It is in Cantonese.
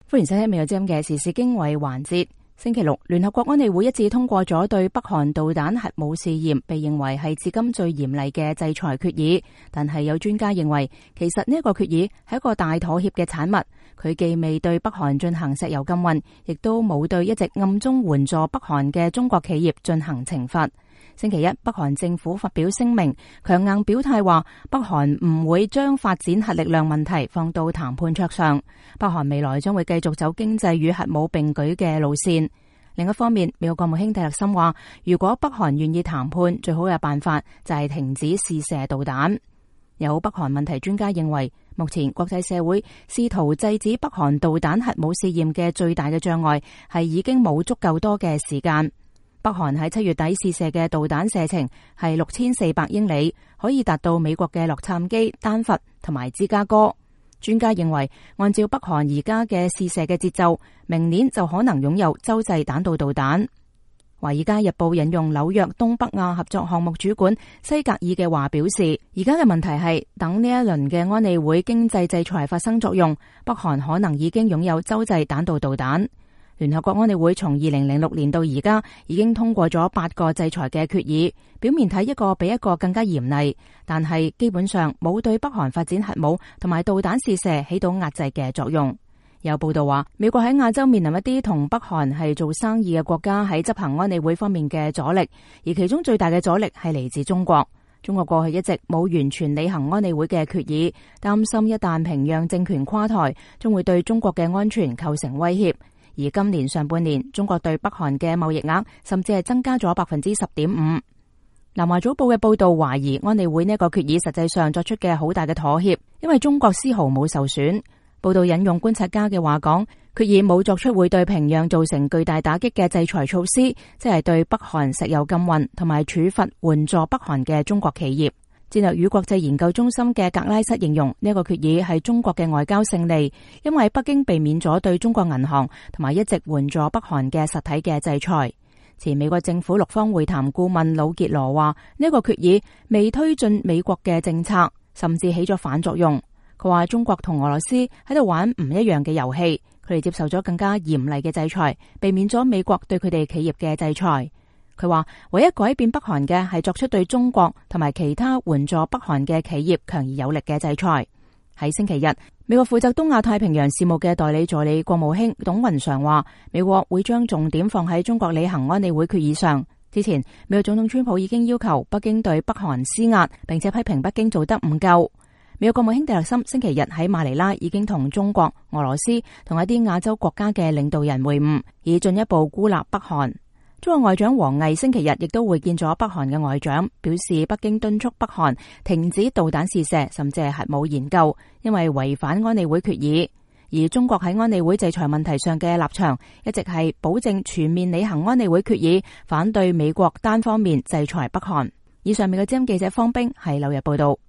歡迎收聽美國之音嘅時事經緯環節。星期六，聯合國安理會一致通過咗對北韓導彈核武試驗被認為係至今最嚴厲嘅制裁決議。但係有專家認為，其實呢一個決議係一個大妥協嘅產物。佢既未對北韓進行石油禁運，亦都冇對一直暗中援助北韓嘅中國企業進行懲罰。星期一，北韓政府發表聲明，強硬表態話北韓唔會將發展核力量問題放到談判桌上。北韓未來將會繼續走經濟與核武並舉嘅路線。另一方面，美國國務卿蒂勒森話，如果北韓願意談判，最好嘅辦法就係停止試射導彈。有北韓問題專家認為，目前國際社會試圖制止北韓導彈核武試驗嘅最大嘅障礙係已經冇足夠多嘅時間。北韓喺7月底試射嘅導彈射程係6400英里，可以達到美國嘅洛杉磯、丹佛同埋芝加哥。專家認為，按照北韓而家嘅試射嘅節奏，明年就可能擁有洲際彈道導彈。華爾街日報引用紐約東北亞合作項目主管西格爾嘅話表示，而家嘅問題係等呢一輪嘅安理會經濟制裁發生作用，北韓可能已經擁有洲際彈道導彈。聯合國安理會從2006年到而家已經通過咗8個制裁嘅決議，表面睇一個比一個更加嚴厲，但係基本上冇對北韓發展核武同埋導彈試射起到壓制嘅作用。有報道話，美國喺亞洲面臨一啲同北韓係做生意嘅國家喺執行安理會方面嘅阻力，而其中最大嘅阻力係嚟自中國。中國過去一直冇完全履行安理會嘅決議，擔心一旦平壤政權垮台，將會對中國嘅安全構成威脅。而今年上半年，中國對北韓嘅貿易額甚至係增加咗10.5%。南華早報嘅報道懷疑安理會呢個決議實際上作出嘅好大嘅妥協，因為中國絲毫冇受損。報道引用觀察家嘅話講，決議冇作出會對平壤造成巨大打擊嘅制裁措施，即係對北韓石油禁運同埋處罰援助北韓嘅中國企業。戰略與國際研究中心嘅格拉瑟形容呢個決議係中國嘅外交勝利，因為北京避免咗對中國銀行同埋一直援助北韓嘅實體嘅制裁。前美國政府六方會談顧問魯傑羅話，呢個決議未推進美國嘅政策，甚至起咗反作用。佢話中國同俄羅斯喺度玩唔一樣嘅遊戲，佢哋接受咗更加嚴厲嘅制裁，避免咗美國對佢哋企業嘅制裁。佢話唯一改變北韓嘅係作出對中國同埋其他援助北韓嘅企業強而有力嘅制裁。喺星期日，美國負責東亞太平洋事務嘅代理助理國務卿董雲常話，美國會將重點放喺中國履行安理會決議上。之前，美國總統川普已經要求北京對北韓施壓，並且批評北京做得唔夠。美國國務卿蒂勒森星期日喺馬尼拉已經同中國、俄羅斯同一啲亞洲國家嘅領導人會晤，以進一步孤立北韓。中國外長王毅星期日亦都會見咗北韓嘅外長，表示北京敦促北韓停止導彈試射，甚至係核武研究，因為違反安理會決議。而中國喺安理會制裁問題上嘅立場，一直係保證全面履行安理會決議，反對美國單方面制裁北韓。以上美國之音記者方冰喺紐約報道。